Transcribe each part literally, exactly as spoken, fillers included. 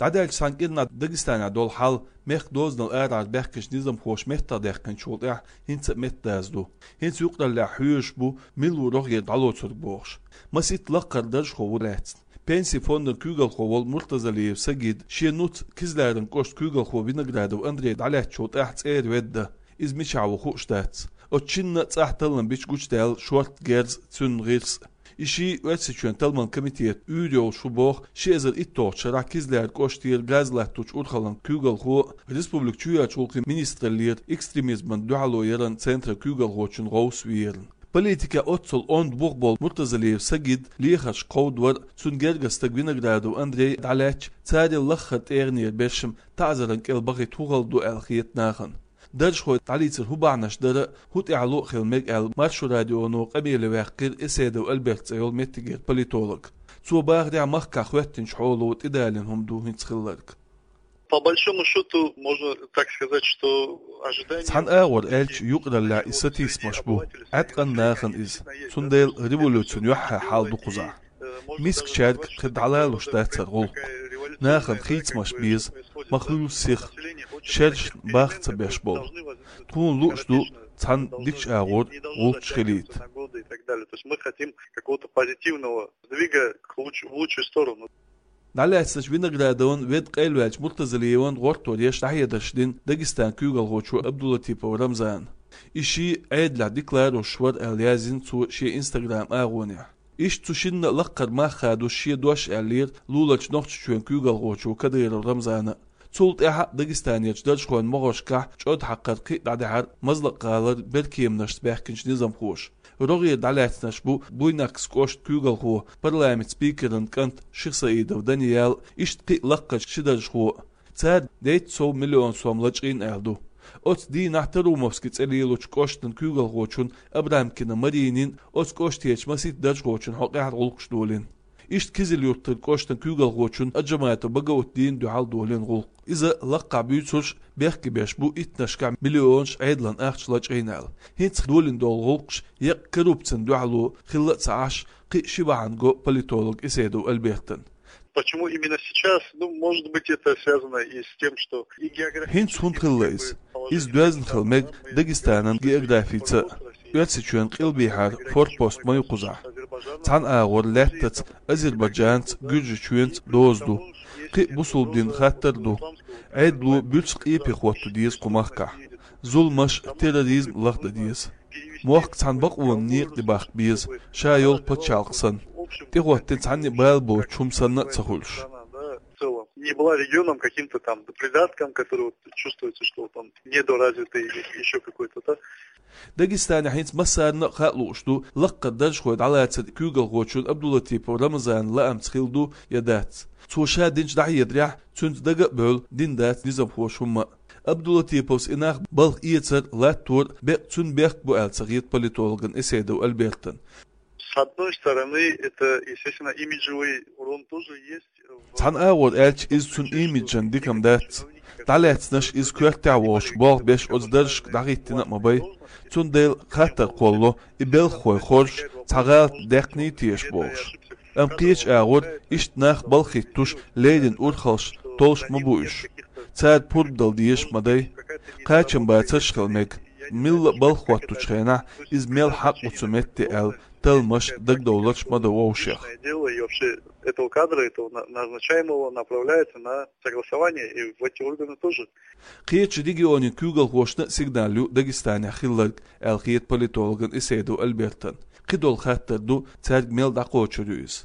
ДӀадаьлча цхьан кӀирнахьа Дагестанехь долу хьал мехкан дозанал арахьара баьхкинчу низамхоша меттахдаьккхинчул тӀаьхьа хӀинца а меттадаьзна ду. ХӀинца юкъараллехь хьоьжуш бу, мила ву рогӀера дӀалоцург бохуш. Масийтта лакхара даржхо ву лаьцна. Пенси фондан куьйгалхо волу Муртазалиев Сагид шен нуц Кизляран кӀоштан куьйгалхо Виноградов Андрей дӀалаьцначул тӀаьхьа цӀера ведда. Иза мичахь ву хууш дац. Оцу шинна а цӀахь таллам бича гучудаьлла шортта герз а, цуьнан гӀирс а. И шиъ Оьрсийчоьнан талламан комитетан уьйр йолуш ву боху ши эзар итталгӀачу шарахь Кизляр кӀоштера газ латточу урхаллин куьйгалхо а, республикан чоьхьарчу гӀуллакхийн министраллера экстремизмана дуьхьало яран центран куьйгалхочун гӀовс верна. Политикехь оццул онда бух болу Муртазалиев Сагид лехарш кховдавар а, цуьнан гергара стаг Виноградов Андрей дӀалаьцча, царел лаххара тӀегӀанера берш-м таӀзаран кӀел бахийта хӀун хала ду аьлла хета нахана. Даржхой дӀалийцар хӀун бахьанаш дара а, хӀун тӀаьхьало а хила мега аьлла, Маршо радионо къамеле ваьккхира Эседов Альберт цӀе йолу меттигера политолог. Цо бахарехь, махкахь хӀоьттинчу хьоло тӀедалийна хӀума ду хӀинца хилларг. По большому счёту, можно так сказать, что ожидание... Цхьана агӀор аьлча, юкъараллехь и сатийсамаш бу, Ӏаткъам нахана иза. Цундела революцина юьххьехь хьал ду кхузахь. Мискачаьрга кхин дӀалалуш дацара гӀуллакх. Нахана хийцамаш беза, ма хуьлу сиха, шерашна бах ца беш болу. Тхуна лууш ду цхьана дикачу агӀор гӀуллакхаш хилийта. То есть мы хотим какого-то позитивного сдвига к луч-, в лучшую сторону. ДӀалаьцначу Виноградовн, ведда къайлаваьллачу Муртазалиевн гӀортор еш дӀахьедарш дина Дагестанан куьйгалхочо Абдулатипов Рамзана. И шиъ Ӏедалехь дика ларъеш вара аьлла яздина цо шен Instagram агӀонехь. Иштта цу шинна а лакхара мах хадош шен дош аьллера луларчу Нохчийчоьнан куьйгалхочо Кадыров Рамзана. Цул тӀаьхьа Дагестанерчу даржхойн могӀаршкахь чӀод хьакхар кхин а дӀадаьхьира Мазлакъ-гӀалара беркеманашца баьхкинчу низамхоша. РогӀера дӀалаьцнарш бу Буйнакскан кӀоштан куьйгалхо, парламентан спикеран кӀант Шихсаидов Даниял, иштта кхин а лакхарчу ши даржхо а. Цара дейтта сов миллион сом лачкъийна аьлла ду. Оцу дийнахь Тарумовски цӀе лелочу кӀоштан куьйгалхочун Абрамкина Маринин оцу кӀоштарчу масийтта даржхочун хьокъехь гӀуллакхаш долийна. Иштта Кизил-Юртара кӀоштан куьйгалхочун Аджаматов Багаутдина дуьхьал долийна гӀуллакх. Иза лакхахь буьйцурш бехке беш бу иттаннашкахь миллионаш Ӏедалан ахча лачкъийна аьлла. ХӀинца долийна долу гӀуллакхаш еккъа коррупцина дуьхьало хилла а ца Ӏаш, кхин а ши бахьана го политолог Эседов Альбертан. Почему именно сейчас? Ну, может быть, это связано и с тем, что и географически... ХӀинца хӀунда хилла иза? Иза доьзна хила мега Дагестанан географица а. Оьрсийчоьнан къилбехьара форпост ма ю кхузахь. Цхьана агӀор лаьттаца Азербайджанца, Гуьржийчоьнца доза ду. Кхин а бусулба динан хаттар а ду. Ӏедало буьрса къепе хӀотто деза кху махкахь. Зуламаш, терроризм лахдан деза. Мохк цхьана бакъонан некъа тӀе бахка беза, ша йолу пачхьалкх санна. ТӀехӀоттина цхьанна а бала боцуш хӀума санна а ца хуьлуш. В целом, не была регионом каким-то там придатком, который вот чувствуется, что вот он недоразвитый или ещё какой-то, да? Дагестанехь хӀинца массарна а хаа лууш ду лакхара даржхой дӀалацар куьйгалхочун Абдулатипов Рамзанан лаамца хилла ду я дац. Цо ша динчу дӀахьедарехь, цуьнца дага а бевлла, дина дац низамхоша хӀумма а. Абдулатиповс и нах балха эцар, латтор беккъа цуьнан бехк бу аьлла ца хета политологан Эседов Альбертан. С одной стороны, это, естественно, имиджевый урон тоже есть. Цхьана агӀор аьлча, иза цуьнан имиджан дика-м дац. ДӀалаьцнарш иза коьртехь а волуш болх беш оцу даржашка дӀахӀиттина а ма бай. Цундела хаттар кхоллало, и белхахой хоржуш, цхьа гӀалат даьккхиний теша бохуш. Амма кхечу агӀор иштта нах балха хӀиттош, леррина урхаллаш толлуш ма бу уьш. Цара пурба дала дезаш ма дай. Кхачамбацарш хила мега. Милла а балха хӀоттучу хенахь, иза мел хьакъ ву цу метте аьлла, талламаш, дагадовларш ма дан вовшех. Дело и вообще этого кадра, этого на-, назначаемого, направляется на согласование и в эти органы тоже. Кхечу регионийн куьйгалхошна а сигнал ю Дагестанехь хилларг, аьлла хета политологан Эседов Альбертан. Кхидолу хаттар ду цаьрга мел дӀакхочур ю иза.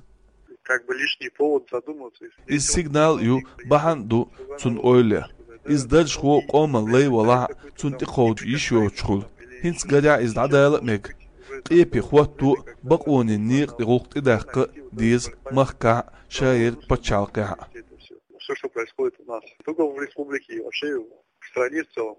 Как бы лишний повод задуматься. Иза сигнал а ю, бахьана а ду цунна ойла ян. Иза даржхо къоман лай валахь а, цунна тӀекховда йиш йоцуш хуьлу. ХӀинца гарехь иза дӀадала а мега. Къепе хӀотто а, бакъонийн некъа тӀе гӀуллакх тӀедаккха а деза махкахь а, шаерг пачхьалкхехь а. Всё, что происходит у нас не только в республике и вообще в стране в целом.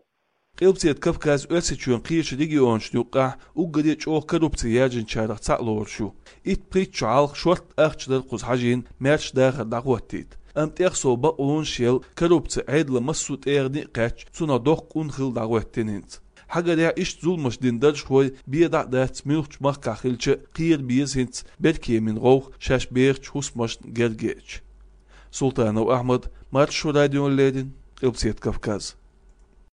Къилбаседа Кавказ Оьрсийчоьнан кхечу регионашна юккъехь уггаре а чӀогӀа коррупци яржинчарах цхьаъ лоруш ю. Итт-пхийтта шо хьалха шортта ахча дара кхуза хьажийна маьрша дахар дӀахӀоттийта. Амма тӀех сов бакъонаш елла, коррупци Ӏедалан массо а тӀегӀане а кхаьчча, цунах доккха къун хилла дӀахӀоьттина хӀинца. Хьагарехь, иштта зуламаш дина даржхой бен дӀа а дац, муьлххачу махкахь хилча а, кхера беза хӀинца беркеманийн гӀовгӀа шаьш бехачу хӀусамашна гергаеча. Султанов Ахьмад, Маршо радиона леррина, Къилбаседа Кавказ.